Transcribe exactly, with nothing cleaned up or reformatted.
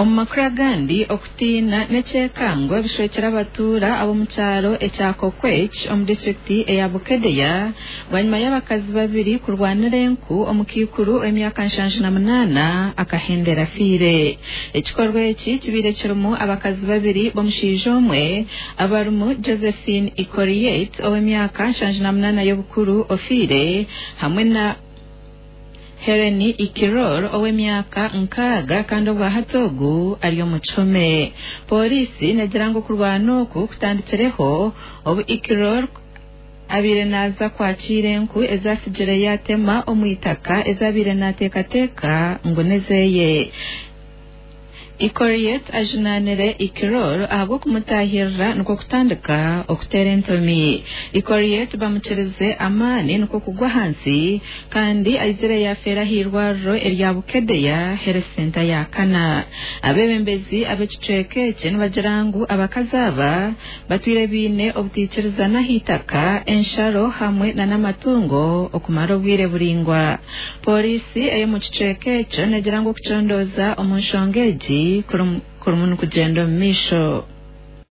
Omu makuru agandi, okutiina n'ekyekango bishwekire abatuura ab'omu kyaro ekya Kokwech omu disitulikiti eya Bukedea bwanyima y'abakazi babiri kurwanira enku omukaikuru ow'emyaka nshanju na munaana akahendera afiire. Ekikorwa eki kibaire kirimu abakazi babiri b'omushaija omwe abarimu Josephine Ikoriet ow'emyaka nshanju na munaana y'obukuru ofiire hamwe na Helen Ikiror ow'emyaka nkaaga kandi obwahati ogu ari omu kihome. Pooriisi negira ngu okurwana oku kutandikireho obu Ikiror abaire naaza kwakiira enku ezafugire yaatema omu itaka ezabaire naateekateeka ngu nezeye. Ikoriet ajunaanire Ikiror ahabw'okumutaahirira nikwo kutandika okuteera entomi. Ikoriet bamukirize amaani nikwo kugwa ahansi kandi aizire yaafeera ah'eirwariro erya Bukedea Health Center ya kana. Abeebembezi ab'ekicweka eki nibagira ngu abakazi aba batwire baine obutaikirizana ah'eitaka, ensharo hamwe n'amatungo okumara obwire buraingwa. Pooriisi ey'omu kicweka ekyo negira ngu okucondooza omu nshonga egi kurimu nikugyenda omu maisho.